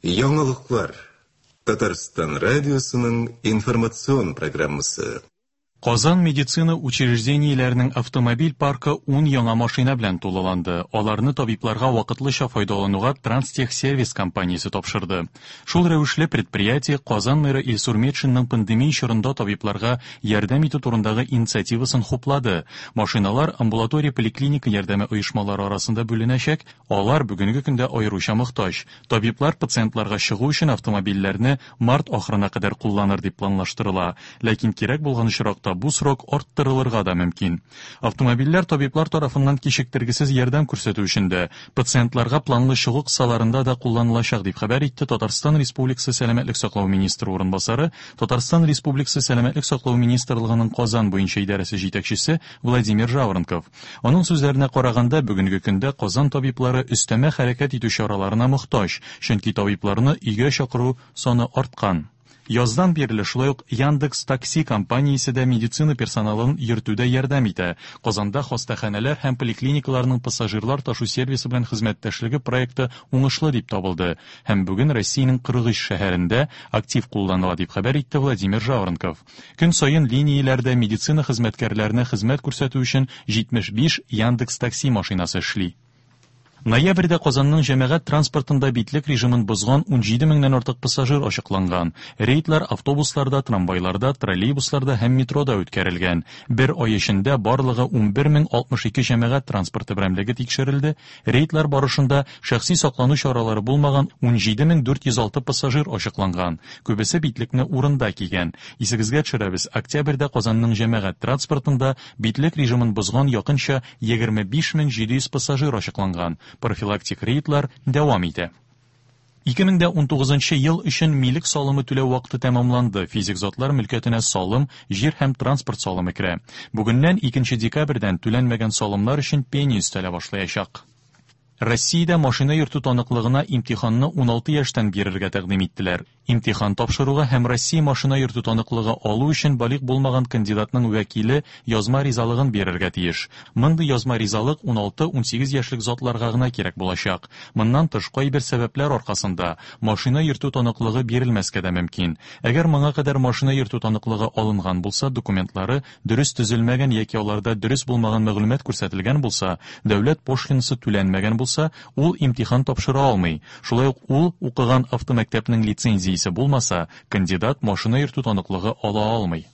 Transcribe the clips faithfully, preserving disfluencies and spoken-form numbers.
Яңалыклар. Татарстан радиосының информацион программасы. Казан медицина учреждениеләренең автомобиль паркы ун яңа машина белән тулыланды. Аларны табибларга вакытлыча файдалануга Транстехсервис компаниясе тапшырды. Шул рәвешле предприятие Казан мэры Илсур Метшинның пандемия чорында табибларга ярдәм итү турындагы инициативасын хуплады. Машиналар амбулатория поликлиника ярдәме оешмалары арасында бүленәчәк. Алар бүгенге көндә аеруча мохтаҗ. Табиблар пациентларга чыгу өчен автомобильләрне март ахырына кадәр кулланыр дип планлаштырыла. Ләкин кирәк булган очракта бу срок арттырылырга да мөмкин. Автомобильләр табиблар тарафыннан кичектергесез ярдәм күрсәтү өчен дә, пациентларга планлы чыгу кысаларында да кулланылачак, дип хәбәр итте Татарстан Республикасы Сәламәтлек саклау министры урынбасары, Татарстан Республикасы Сәламәтлек саклау министрлыгының Казан буенча идарәсе җитәкчесе Владимир Жаворонков. Аның сүзләренә караганда, бүгенге көндә Казан табиблары өстәмә хәрәкәт итү чараларына мохтаҗ, чөнки табибларны өйгә чакыру саны арткан. Яздан бирле шулай ук Яндекс Такси компаниясе дә медицина персоналын йөртүдә ярдәм итә. Казанда хастаханәләр һәм поликлиникаларның пассажирлар ташу сервисы белән хезмәттәшлеге проекты уңышлы дип табылды һәм бүген Россиянең кырык өч шәһәрендә актив кулланыла, дип хәбәр итте Владимир Жаворонков. Көн саен линияләрдә медицина хезмәткәрләренә хезмәт күрсәтү өчен җитмеш биш Яндекс Такси машинасы эшли. Ноябрьдә Казанның җәмәгать транспортында битлек режимын бозган ун җиде меңнән артык пассажир ачыкланган. Рейдлар автобусларда, трамвайларда, троллейбусларда һәм метрода үткәрелгән. Бер ай эчендә барлыгы ун бер мең алтмыш ике җәмәгать транспорты берәмлеге тикшерелде. Рейдлар барышында шәхси саклану чаралары булмаган ун җиде мең дүрт йөз алты пассажир ачыкланган. Күбесе битлекне урында кигән. Исегезгә төшерәбез, октябрьдә Казанның җәмәгать транспортында битлек режимын бозган якынча егерме биш мең җиде йөз пассажир ачыкланган. Профилактик рейдлар дәвам итә. Ике мең дә унтугызынчы ел өчен милек салымы түләү вакыты тәмамланды. Физик затлар мөлкәтенә салым, җир һәм транспорт салымы керә. Бүгеннән икенче декабрьдән түләнмәгән салымнар өчен пеня өстәлә башлаячак. Россиядә машина йөртү таныклыгына имтиханны ун алты яшьтән бирергә тәкъдим иттеләр. Имтихан тапшыруга һәм Россия машина йөртү таныклыгы алу өчен балигъ булмаган кандидатның вәкиле язма ризалыгын бирергә тиеш. Мондый язма ризалык ун алты-ун сигез яшьлек затларга гына кирәк булачак. Моннан тыш, кайбер сәбәпләр аркасында машина йөртү таныклыгы бирелмәскә дә мөмкин. Әгәр моңа кадәр машина йөртү таныклыгы алынган булса, документлары дөрес төзелмәгән яки аларда дөрес булмаган мәгълүмат күрсәтелгән булса, дәүләт пошлинасы түләнмәгән булса, ул имтихан тапшыра алмый. Шулай ук ул укыган автомәктәпнең лицензиясе булмаса, кандидат машина йөртү таныклыгы ала алмый.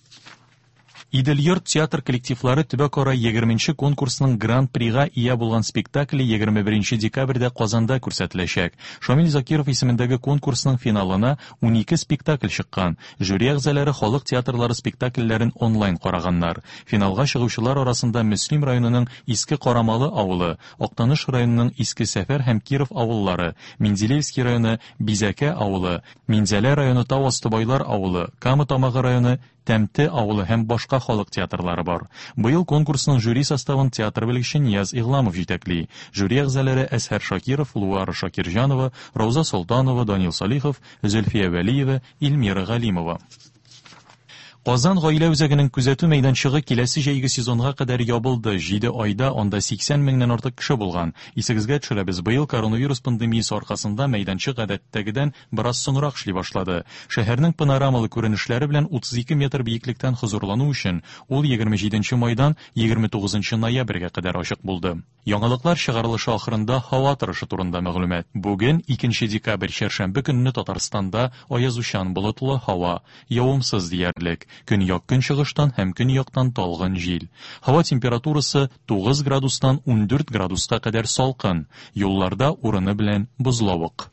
Идел-йорт театр коллективлары төбәкара егерменче конкурсның гран-прига ия булган спектакле егерме беренче декабрьдә Казанда күрсәтеләчәк. Шамил Закиров исемендәге конкурсның финалына ун ике спектакль чыккан. Жюри әгъзалары халык театрлары спектакльләрен онлайн караганнар. Финалга чыгучылар арасында Мөслим районының Иске Карамалы авылы, Актаныш районының Иске Сәфәр һәм Киров авыллары, Менделеевский районы Бизәкә авылы, Минзәлә районы Тау асты Байлар авылы, Кама Тамагы районы Тәмте авылы һәм башка халык театрлары бар. Быел конкурсның жюри составын театр белгече Нияз Игъламов җитәкли. Жюри әгъзалары Әсһәр Шакиров, Луара Шакирҗанова, Рауза Солтанова, Данил Салихов, Зөлфия Вәлиева, Эльмира Галимова. Казан гаилә үзәгенең күзәтү мәйданчыгы киләсе җәйге сезонга кадәр ябылды. Җиде айда анда сиксән меңнән артык кеше булган. Исегезгә төшерәбез, быел коронавирус пандемиясе аркасында мәйданчык гадәттәгедән бераз соңрак эшли башлады. Шәһәрнең панорамалы күренешләре белән утыз ике метр биеклектән хозурлану өчен ул егерме җиденче майдан егерме тугызынчы ноябрьгә кадәр ачык булды. Яңалыклар чыгарылышы ахырында һава торышы турында мәгълүмат. Бүген икенче декабрь чәршәмбе көнне Татарстанда аязучан болытлы һава, явымсыз диярлек. Көньяк-көнчыгыштан һәм көньяктан талгын җил. Һава температурасы тугыз градустан ундүрт градуска кадәр салкын. Юлларда урыны белән бозлавык.